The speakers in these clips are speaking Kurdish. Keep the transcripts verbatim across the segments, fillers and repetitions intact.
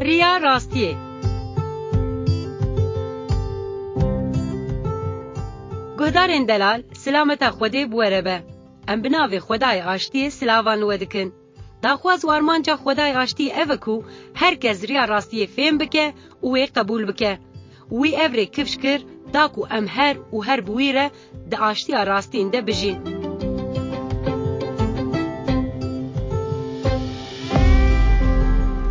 Riya rastiyê. Guhdarên delal, silameta Xwedê bi we re be. Em bi navê Xwedayê Aştiyê silavan li we dikin. Daxwaz û armanca Xwedayê Aştiyê ev e ku her kes riya rastiyê fêm bike û wê qebûl bike. Wî ev rê kifş kir, da ku em her û her bi wî re di aştiya rastîn de bijîn.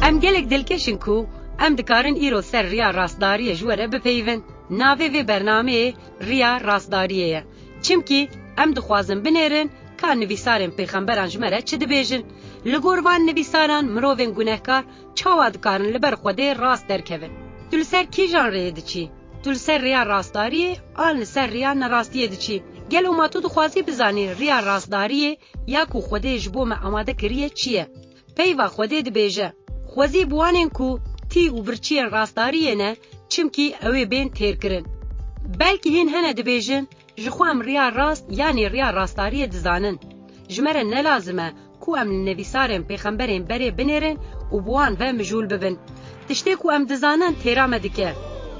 Em gelek dilkeş in ku em dikarin îro ser riya rastdariyê ji we re bipeyivin. Navê vê bernameyê Riya Rastdariyê ye. Çimkî em dixwazin binêrin ka nivîsarên pêxemberan ji me re çi dibêjin. Li gor van nivîsaran mirovên gunehkar çawa dikarin li ber Xwedê rast derkevin? Tu li ser kîjan rêyê diçî? Tu li ser rêya rastdariyê an li ser rêya nerastiyê diçî? Gelo ma tu dixwazî bizanî rêya rastdariyê ya ku Xwedê ji bo me amade kiriye çi ye? Peyva Xwedê dibêje, Xwezî bi wanên ku tî û birçiyên rastdariyê ne, çimkî ew ê bên têrkirin. Belkî hîn hene dibêjin, Ji xwe em riya rast yanî riya rastdariyê dizanin. Ji me re ne lazim e ku em li nivîsarên pêxemberên berê binêrin û bi wan ve mijûl bibin. Tiştê ku em dizanin têra me dike.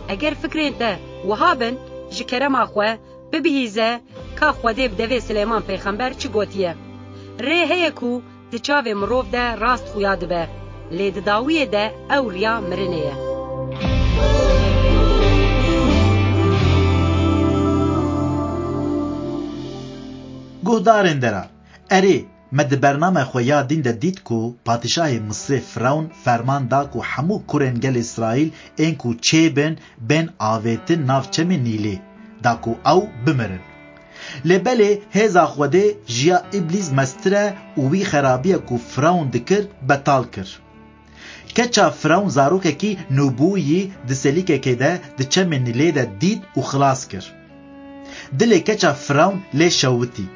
Eger fikrên te wiha bin, ji kerema xwe bibihîze ka Xwedê bi devê Silêman pêxember çi gotiye. Rê heye ku di çavê mirov de rast xuya dibe, lê di dawiyê de ew riya mirinê ye. Guhdarên delal, erê, me di bername xwe ya dîn de dît ku padîşahê Misrê Firewn ferman da ku hemû kurên gelê Îsraîl ên ku çêbin, bên avêtin nav çemê Nîlê, da ku ew bimirin. Lê belê hêza Xwedê ji ya Îblîs mestir e û wî xerabiya ku Firewn dikir, betal kir. Keça Firewn zarokekî nûbûyî di selîkekê de di çemê Nîlê de dît û xilas kir. Dilê keça Firewn lê şewitî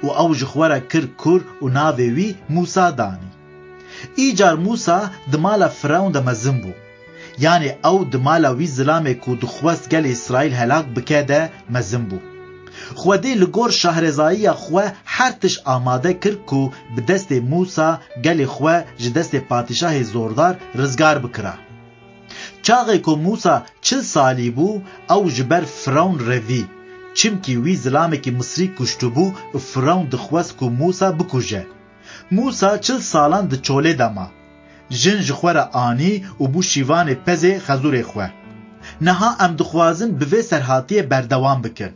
û ew ji xwe re kir kur û navê wî Mûsa danî. Îcar Mûsa di mala Firewn de mezin bû. Yanî ew di mala wî zilamê ku dixwest gelê Îsraîl helak bike de mezin bû. Xwedê li gor şahrêzayiya xwe her tişt amade kir ku bi destê Mûsa gelê xwe ji destê padîşahê zordar rizgar bikira. Çaxê ku Mûsa çil salî bû, ew ji ber Firewn revî, çimkî wî zilamekî Misrî kuştibû û Firewn dixwest ku Mûsa bikuje. Mûsa çil salan di çolê de ma. Jin ji xwe re anî û bû şîvanê pezê xezûrê xwe. Niha em dixwazin bi vê serhatiyê berdewam bikin.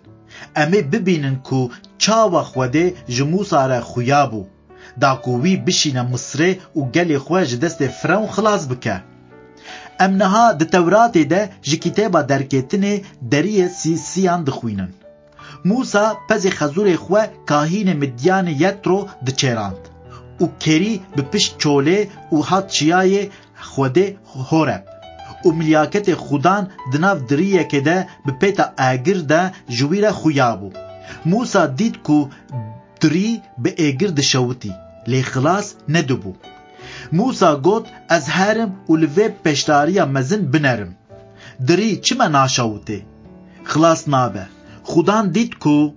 Em ê bibînin ku çawa Xwedê ji Mûsa re xuya bû, da ku wî bişîne Misrê û gelê xwe ji destê Firewn xilas bike. Em niha di Tewratê de ji kitêba Derkêtinê deriyê sî-, siyan dixwînin. Mûsa pezê xezûrê xwe kahînê Midyanê Yetro diçêrand û kerî bi pişt çolê û hat çiyayê Xwedê Horeb û milyaketê Xudan di nav diriyekê de bi pêta agir de ji wî re xuya bû. Mûsa dît ku dirî bi êgir dişewitî, lê xilas nedibû. Mûsa got, Ez herim û li vê pêşdariya mezin binerim. Dirî çima naşewitê? Xilas nabe. Xudan dît ku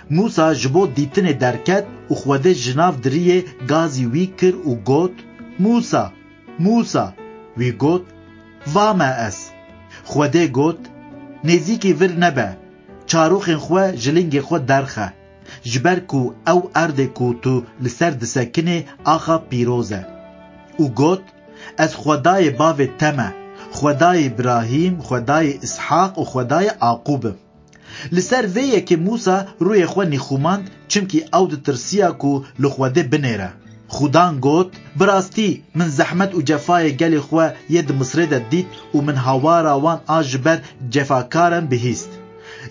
Mûsa ji bo dîtinê derket û Xwedê ji nav diriyê gazî wî kir û got, Mûsa, Mûsa! Wî got, Va me ez. Xwedê got, Nêzîkî vir nebe, çaroxên xwe ji lingê xwe derxe, ji ber ku ew erdê ku tu li ser disekinê axa pîroz e. Û got, Ez Xwedayê bavê te me, Xwedayê Îbrahîm, Xwedayê Îshaq û Xwedayê Aqûb im. Li ser vê yekê Mûsa rûyê xwe nîxumand, çimkî ew ditirsiya ku li Xwedê binêre. Xudan got, Bi rastî, min zehmet û cefayê gelê xwe yê di Misrê de dît û min hawara wan a ji ber cefakaran bihîst.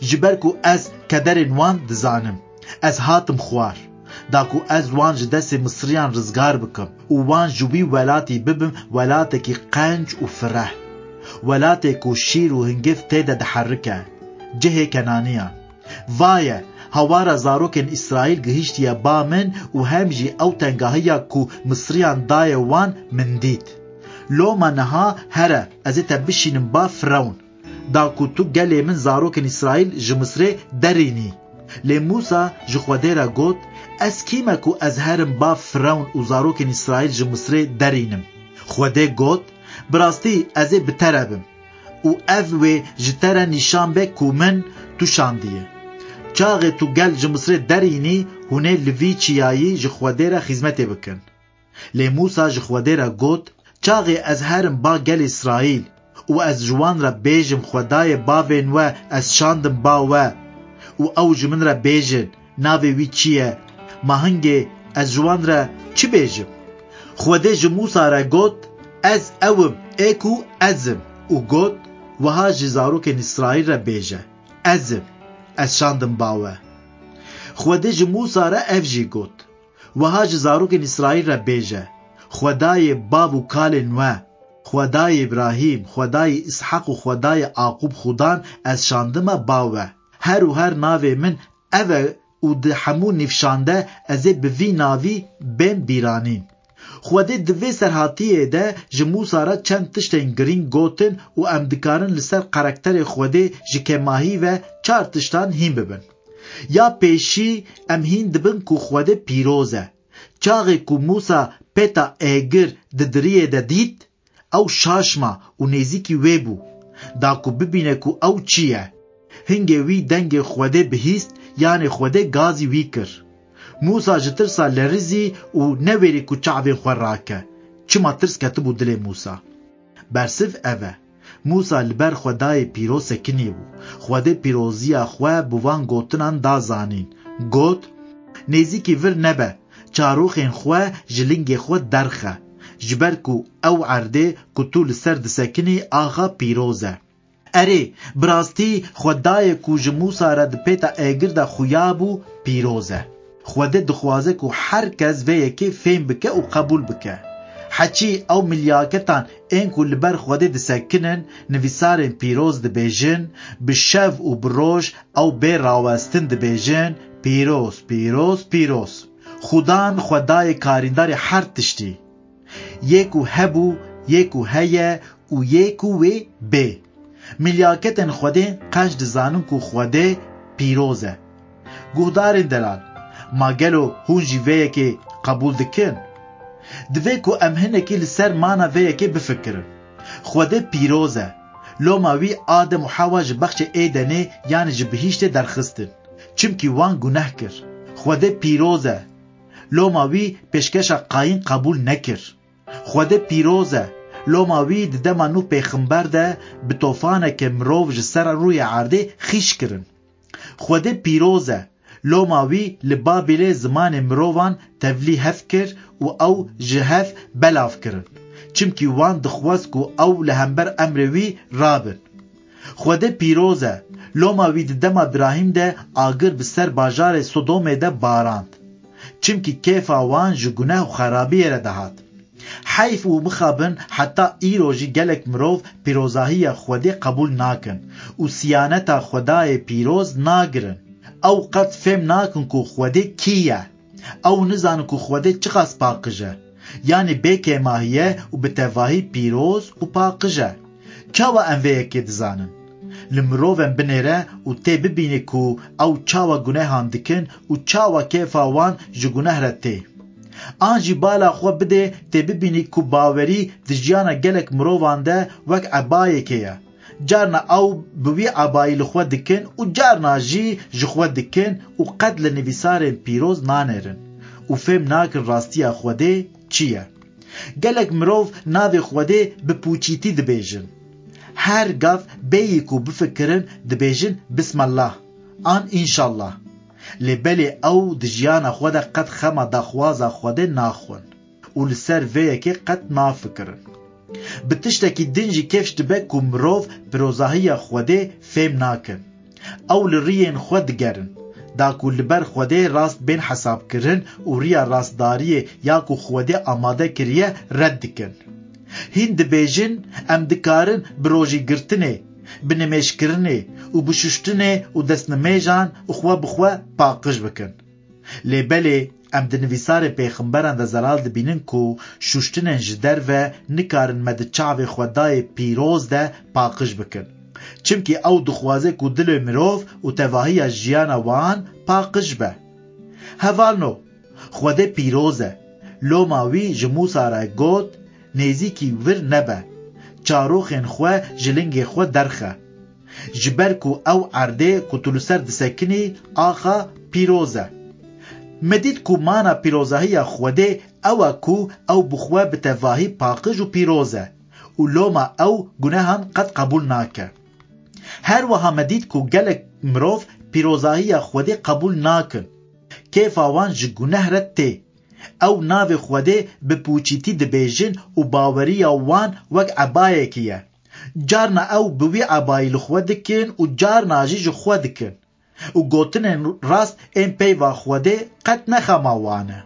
Ji ber ku ez kederên wan dizanim, ez hatim xwar, da ku ez wan ji destê Misriyan rizgar bikim û wan ji wî welatî bibim welatekî qenc û fireh, welatê ku şîr û hingiv tê de diherike, cihê Kenaniyan. Vaye, hawara zarokên Îsraîl gihiştiye ba min û hem jî ew tengahiya ku Misriyan daye wan min dît. Loma niha here, ez ê te bişînim ba Firewn, da ku tu gelê min zarokên Îsraîl ji Misrê derînî. Lê Mûsa ji Xwedê re got, Ez kî me ku ez herim ba Firewn û zarokên Îsraîl ji Misrê derînim? Xwedê got, Bi rastî ez ê bi te re bim û ev wê ji te re nîşan be ku min tu şandiye. Çaxê tu gel ji Misrê derînî, hûn ê li vî çiyayî ji Xwedê re xîzmetê bikin. Lê Mûsa ji Xwedê re got, Çaxê ez herim ba gelê Îsraîl û ez ji wan re bêjim, Xwedayê bavên we ez şandim ba we û ew ji min re bêjin, navê wî çi ye? Ma hingê ez ji wan re çi bêjim? Xwedê ji Mûsa re got, Ez ew im ê ku ez im û got, Wiha ji zarokên Îsraîl re bêje, Ez im, ez şandim ba we. Xwedê ji Mûsa re ev jî got, Wiha ji zarokên Îsraîl re bêje, Xwedayê bav û kalên we, Xwedayê Îbrahîm, Xwedayê Îshaq û Xwedayê Aqûb Xudan ez şandime ba we. Her û her navê min ev e û di hemû nîvşan de ez ê bi vî navî bên bîranîn. Xwedê di vê serhatiyê de ji Mûsa re çend tiştên girîng gotin û em dikarin li ser karakterê Xwedê ji kêmahî ve çar tiştan hîn bibin. Ya pêşî, em hîn dibin ku Xwedê pîroz e. Çaxê ku Mûsa pêta êgir di diriyê de dît, ew şaş ma û nêzîkî wê bû, da ku bibîne ku ew çi ye. Hingê wî dengê Xwedê bihîst, yanê Xwedê gazî wî kir. Mûsa ji tirsa lerizî û newêrî ku çavê xwe rake. Çima tirs ketibû dilê Mûsa? Bersiv ev e. Mûsa li ber Xwedayê pîroz sekinî bû. Xwedê pîroziya xwe bi van gotinan da zanîn. Got, Nêzîkî vir nebe, çaroxên xwe ji lingê xwe derxe, ji ber ku ew erdê ku tu li ser disekinî axa pîroz e. Erê, bi rastî Xwedayê ku ji Mûsa re di pêta êgir de xuya bû, pîroz e. Xwedê dixwaze ku her kes vê yekê fêm bike û qebûl bike. Heçî ew milyaketan ên ku li ber Xwedê disekinin, nivîsarên pîroz dibêjin, bi şev û bi roj ew bê rawestin dibêjin, Pîroz, pîroz, pîroz. Xudan Xwedayê karîndarê her tiştî. Yê ku hebû, yê ku heye û yê ku wê bê. Milyaketên Xwedê qenc dizanin ku Xwedê pîroz e. Guhdarên delal, ma gelo hûn jî vê yekê qebûl dikin? Divê ku em hinekî li ser mana vê yekê bifikirin. Xwedê pîroz e. Loma wî Adem û Hewa ji bexçê Êdenê, yanî ji bihîştê derxistin. Çimkî wan guneh kir. Xwedê pîroz e. Loma wî pêşkeşa Qayîn qebûl nekir. Xwedê pîroz e. Loma wî di dema Nûh pêxember de bi tofaneke mirov ji ser rûyê erdê xîş kirin. Xwedê pîroz e. Loma wî li Babîlê zimanê mirovan tevlî hev kir û ew ji hev belav kirin. Çimkî wan dixwest ku ew li hember emrê wî rabin. Xwedê pîroz e. Loma wî di dema Birahîm de agir bi ser bajarê Sodomê de barand. Çimkî kêfa wan ji guneh û xerabiyê re dihat. Heyf û mixabin heta îro jî gelek mirov pîrozahiya Xwedê qebûl nakin û siyaneta Xwedayê pîroz nagirin. Ew qet fêm nakin ku Xwedê kî ye. Ew nizanin ku Xwedê çiqas paqij e. Yanî bê kêmahî ye û bi tevahî pîroz û paqij e. Çawa em vê yekê dizanin? Li mirovên binêre û tê bibînî ku ew çawa gunehan dikin û çawa kêfa wan ji guneh re tê. An jî bala xwe bidê tê bibînî ku bawerî di jiyana gelek mirovan de wek ebayekê ye. Carna ew bi wî ebayî li xwe dikin û carna jî ji xwe dikin û qet li nivîsarên pîroz nanêrin û fêm nakin rastiya Xwedê çi ye. Gelek mirov navê Xwedê bi pûçîtî dibêjin. Her gav bêyî ku bifikirin dibêjin Bismallah an Înşallah. Lê belê ew di jiyana xwe de qet xema daxwaza Xwedê naxwin û li ser vê yekê qet nafikirin. Bi tiştekî din jî kêfş dibe ku mirov pîrozahiya Xwedê fêm nakin. Ew li riyên xwe digerin, da ku li ber Xwedê rast bên hesabkirin û riya rastdariyê ya ku Xwedê amade kiriye red dikin. Hîn dibêjin, em dikarin bi rojîgirtinê, bi nimêjkirinê û bi şuştinê û destnimêjan xwe bi xwe paqij bikin. Lê belê em di nivîsarên pêxemberan de zelal dibînin ku şuştinên ji derve nikarin me di çavê Xwedayê pîroz de paqij bikin. Çimkî ew dixwaze ku dilê mirov û tevahiya jiyana wan paqij be. Hevalno, Xwedê pîroz e. Loma wî ji Mûsa re got, Nêzîkî vir nebe. çaroxên xwe ji lingê xwe derxe. Ji ber ku ew erdê ku tu li ser disekinî, axa pîroz e. Me dît ku mana pîrozahiya Xwedê ew e ku ew bi xwe bi tevahî paqij û pîroz e û loma ew gunehan qet qebûl nake. Her wiha me dît ku gelek mirov pîrozahiya Xwedê qebûl nakin. Kêfa wan ji guneh re tê. Ew navê Xwedê bi pûçîtî dibêjin û baweriya wan wek ebayekî ye. Carna ew bi wî ebayî li xwe dikin û carna jî ji xwe dikin. Û gotinên rast ên peyva Xwedê qet ne xema wan e.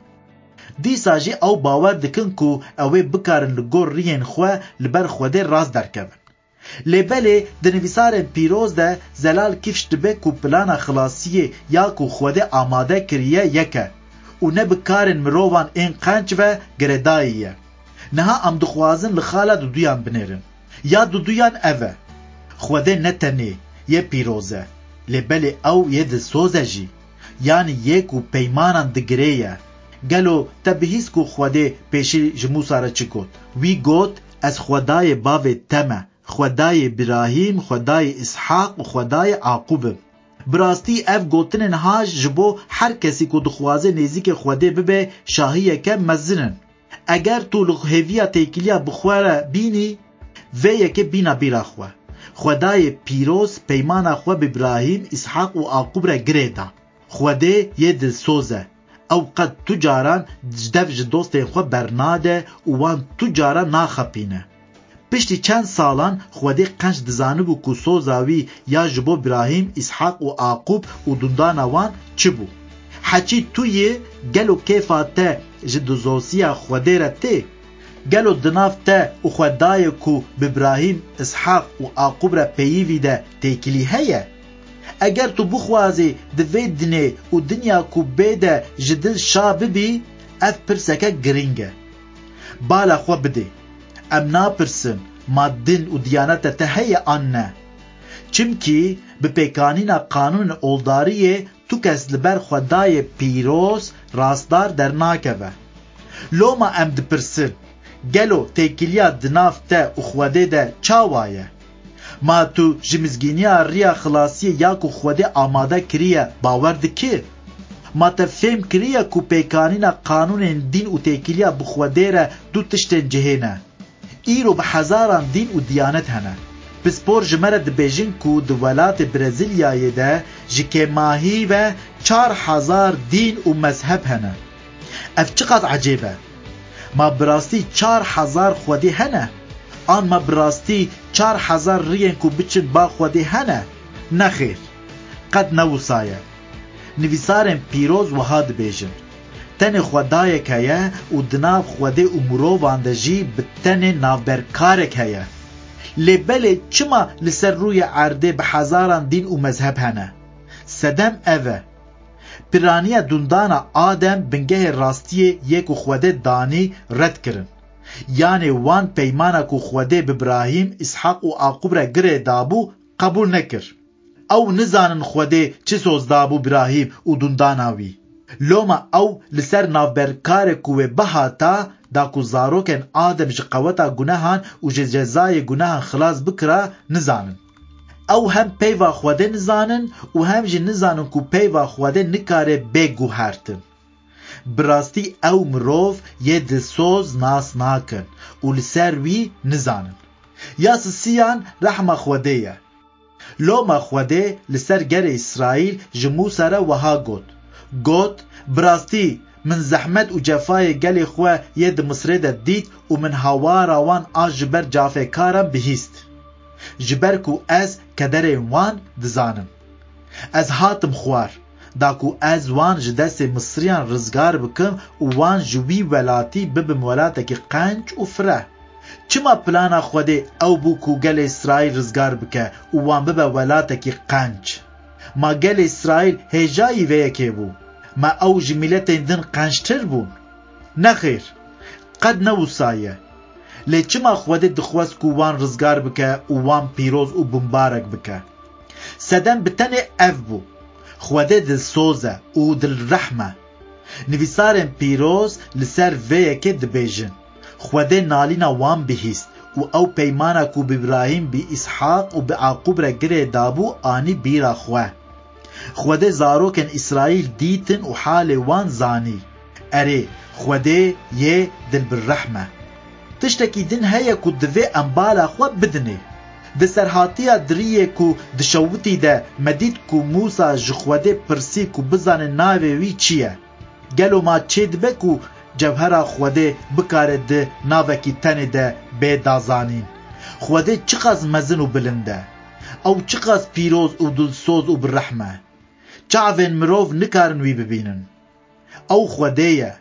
Dîsa jî ew bawer dikin ku ew ê bikarin li gor riyên xwe li ber Xwedê rast derkevin. Lê belê di nivîsarên pîroz de zelal kifş dibe ku plana xilasiyê ya ku Xwedê amade kiriye yek e û ne bi karên mirovan ên qenc ve girêdayî ye. Niha em dixwazin li xala duduyan binêrin. Ya duduyan ev e. Xwedê ne tenê yê pîroz e, lê belê ew yê dilsoz e jî. Yanî yê ku peymanan digirê ye. Gelo te bihîst ku Xwedê pêşî ji Mûsa re çi got? Wî got, Ez Xwedayê bavê te me, Xwedayê Birahîm, Xwedayê Îshaq û Xwedayê Aqûb im. Bi rastî ev gotinên ha ji bo her kesî ku dixwaze nêzîkê Xwedê bibe şahiyeke mezin in. Eger tu li hêviya têkiliya bi xwe re bînî, vê yekê bîna bîra xwe. Xwedayê pîroz peymana xwe bi Birahîm, Îshaq û Aqûb re girê da. Xwedê yê dilsoz e. Ew qet tu caran ji dev ji dostên xwe bernade û wan tu caran naxapîne. Piştî çend salan Xwedê qenc dizanibû ku soza wî ya ji bo Birahîm, Îshaq û Aqûb û dundana wan çi bû? Heçî tu yê, gelo kêfa te ji dizosiya Xwedê re tê? Gelo di nav te û Xwedayê ku bi Birahîm, Îshaq û Aqûb re peyivî de têkilî heye? Eger tu bixwazî di vê dinê û dinya ku bê de ji dil şa bibî, ev pirseke girîng e. Bala xwe bidê. Em napirsin, ma din û diyaneta te heye an ne? Çimkî bi pêkanîna qanûnên oldariyê tu kes li ber Xwedayê pîroz, rastdar dernakeve. Loma em dipirsin, gelo têkiliya di nav te û Xwedê de çawa ye? Ma tu ji mizgîniya riya xilasiyê ya ku Xwedê amade kiriye bawer dikî? Ma te fêm kiriye ku pêkanîna qanûnên dîn û têkiliya bi Xwedê re du tiştên cihê ne? Îro bi hezaran dîn û diyanet hene. Pispor ji me re dibêjin ku di welatê Brezîlyayê de ji kêmahî ve çar hezar dîn û mezheb hene. Ev çiqas ecêb e! Ma bi rastî çar hezar xwedî hene? An ma bi rastî çar hezar riyên ku biçin ba xwedî hene? Nexêr, qet ne wisa ye. Nivîsarên pîroz wiha dibêjin, Tenê Xwedayek heye û di nav Xwedê û mirovan de jî bi tenê navberkarek heye. Lê belê çima li ser rûyê erdê bi hezaran dîn û mezheb hene? Sedem ev e. Piraniya dundana Adem bingehê rastiyê yê ku Xwedê danî red kirin. Yanê wan peymana ku Xwedê bi Birahîm, Îshaq û Aqûb re girê dabû, qebûl nekir. Ew nizanin Xwedê çi soz dabû Birahîm û dundana wî. Loma ew li ser navberkarê ku wê bihata, da ku zarokên Adem ji qeweta gunehan û ji cezayê gunehan xilas bikira, nizanin. Ew hem peyva Xwedê nizanin û hem jî nizanin ku peyva Xwedê nikare bê guhertin. Bi rastî ew mirov yê dilsoz nas nakin û li ser wî nizanin. Ya sisiyan rehma Xwedê ye. Loma Xwedê li ser gelê Îsraîl ji Mûsa re wiha got, Got, Bi rastî min zehmet û cefayê gelê xwe yê di Misrê de dît û min hawara wan a ji ber cafêkaran bihîst. Ji ber ku ez kederên wan dizanim. Ez hatim xwar, da ku ez wan ji destê Misriyan rizgar bikim û wan ji wî welatî bibim welatekî qenc û fireh. Çima plana Xwedê ew bû ku gelê Îsraîl rizgar bike û wan bibe welatekî qenc? Ma gelê Îsraîl hêjayî vê yekê bû? Ma ew ji mîletên din qenctir bûn? Nexêr, qet ne wisa ye. Lê çima Xwedê dixwest ku wan rizgar bike û wan pîroz û bimbarek bike? Sedem bi tenê ev bû, Xwedê dilsoz e û dilrehm e. Nivîsarên pîroz li ser vê yekê dibêjin, Xwedê nalîna wan bihîst û ew peymana ku bi Îbrahîm, bi Îshaq û bi Aqûb re girê dabû, anî bîra xwe. Xwedê zarokên Îsraîl dîtin û halê wan zanî. Erê, Xwedê yê dilbirrehm e. Tiştekî din heye ku divê em bala xwe bidinê. Di serhatiya diriyê ku dişewitî de me dît ku Mûsa ji Xwedê pirsî ku bizane navê wî çi ye. Gelo ma çêdibe ku cewhera Xwedê bikare di navekî tenê de bê dazanîn? Xwedê çiqas mezin û bilind e! Ew çiqas pîroz û dilsoz û bi rehm e! Çavên mirov nikarin wî bibînin. Ew Xwedê ye.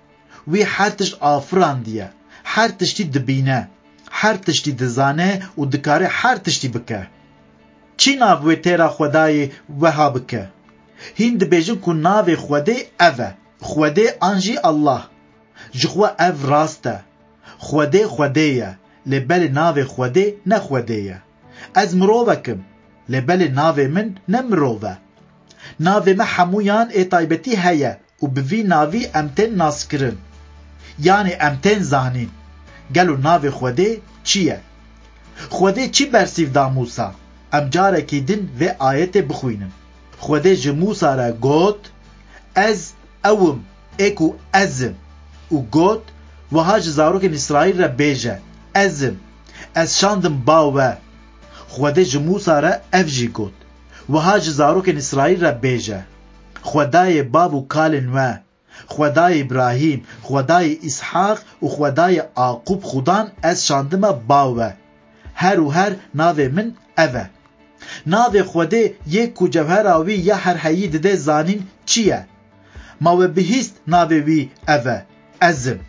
Wî her tişt afirandiye. Her tiştî dibîne. Her tiştî dizane û dikare her tiştî bike. Çi nav wê têra Xwedayê weha bike? Hîn dibêjin ku navê Xwedê ev e. Xwedê an jî Allah. Ji xwe ev rast e. Xwedê Xwedê ye, lê belê navê Xwedê ne Xwedê ye. Ez mirovek im, lê belê navê min ne mirov e. Navê me hemûyan ê taybetî heye û bi vî navî em tên naskirin. Yanî em tên zanîn. Gelo navê Xwedê çi ye? Xwedê çi bersîv da Mûsa? Em carekî din vê ayetê bixwînin. Xwedê ji Mûsa re got, Ez ew im ê ku ez im. Û got, Wiha ji zarokên Îsraîl re bêje, Ez im. Ez şandim ba we. Xwedê ji Mûsa re ev jî got, Wiha ji zarokên Îsraîl re bêje, Xwedayê bav û kalên we, Xwedayê Îbrahîm, Xwedayê Îshaq û Xwedayê Aqûb Xudan ez şandime ba we. Her û her navê min ev e. Navê Xwedê yê ku cewhera wî ya herheyî dide zanîn çi ye? Ma we bihîst navê wî ev e, Ez im,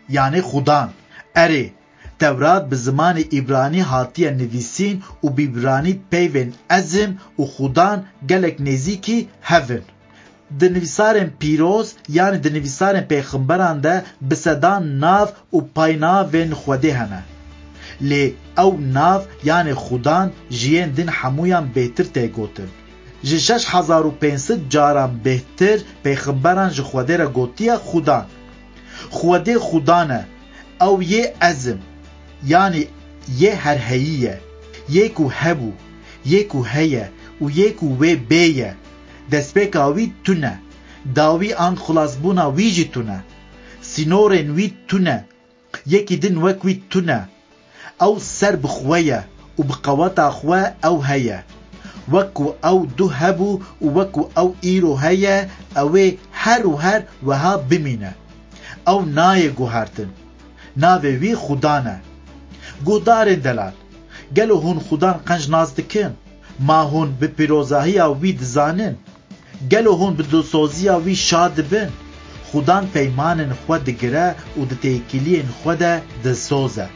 yanî Xudan. Erê, Tewrat bi zimanê îbranî hatiye nivîsîn û bi îbranî peyvên Ez im û Xudan gelek nêzîkî hev in. Di nivîsarên pîroz, yanî di nivîsarên pêxemberan de bi sedan nav û paynavên Xwedê hene. Lê ew nav, yanî Xudan, ji yên din hemûyan bêhtir tê gotin. Ji şeş hezar û pênc sed caran bêhtir pêxemberan ji Xwedê re gotiye Xudan. Xwedê Xudan e, ew yê Ez im, yanî yê herheyî ye, yê ku hebû, yê ku heye û yê ku wê bê ye. Destpêka wî tune, dawî an xilasbûna wî jî tune. Sînorên wî tune, yekî din wek wî tune. Ew ser bi xwe ye û bi qeweta xwe ew heye. Wek ku ew duh hebû û wek ku ew îro heye, ew ê her û her wiha bimîne. Ew nayê guhertin. Navê wî Xudan e. Guhdarên delal, gelo hûn Xudan qenc nas dikin? Ma hûn bi pîrozahiya wî dizanin? Gelo hûn bi dilsoziya wî şa dibin? Xudan peymanên xwe digire û di têkiliyên xwe de dilsoz e.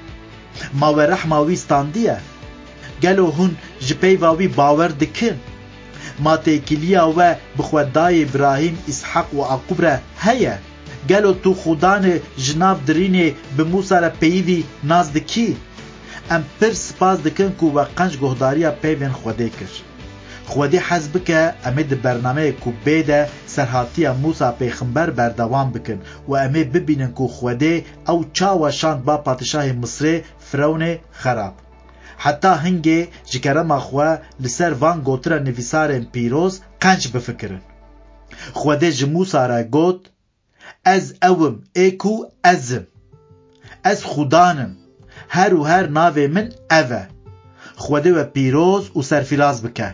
Ma we rehma wî standiye? Gelo hûn ji peyva wî bawer dikin? Ma têkiliya we bi Xwedayê Îbrahîm, Îshaq û Aqûb re heye? Gelo tu Xudanê ji nav dirînê bi Mûsa re peyivî nas dikî? Em pir spas dikin ku we qenc guhdariya peyvên Xwedê kir. Xwedê hez bike, em ê di bernameyê ku bê de serhatiya Mûsa pêxember berdewam bikin û em ê bibînin ku Xwedê ew çawa şand ba padîşahê Misrê, Firewnê xerab. Heta hingê ji kerema xwe li ser van gotira nivîsarên pîroz qenc bifikirin. Xwedê ji Mûsa re got, Ez ew im ê ku ez im. Ez Xudan im. Her û her navê min ev e. Xwedê we pîroz û serfîraz bike.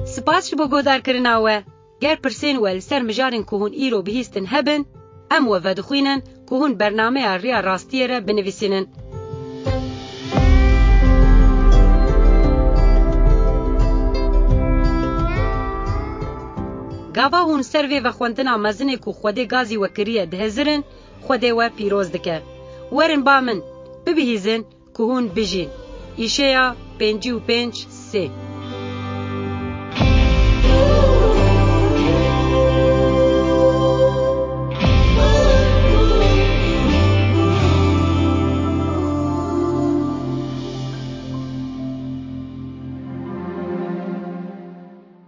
Spas ji bo guhdarkirina we. Ger pirsên we li ser mijarên ku hûn îro bihîstin hebin, em we vedixwînin ku hûn bernameya Riya Rastiyê re binivîsînin. Gava hûn ser vê vexwendina mezinê ku Xwedê gazî we kiriye dihizirin, Xwedê we pîroz dike. Werin ba min, bibihîzin ku hûn bijîn. Îşeya pêncî û pênc sê.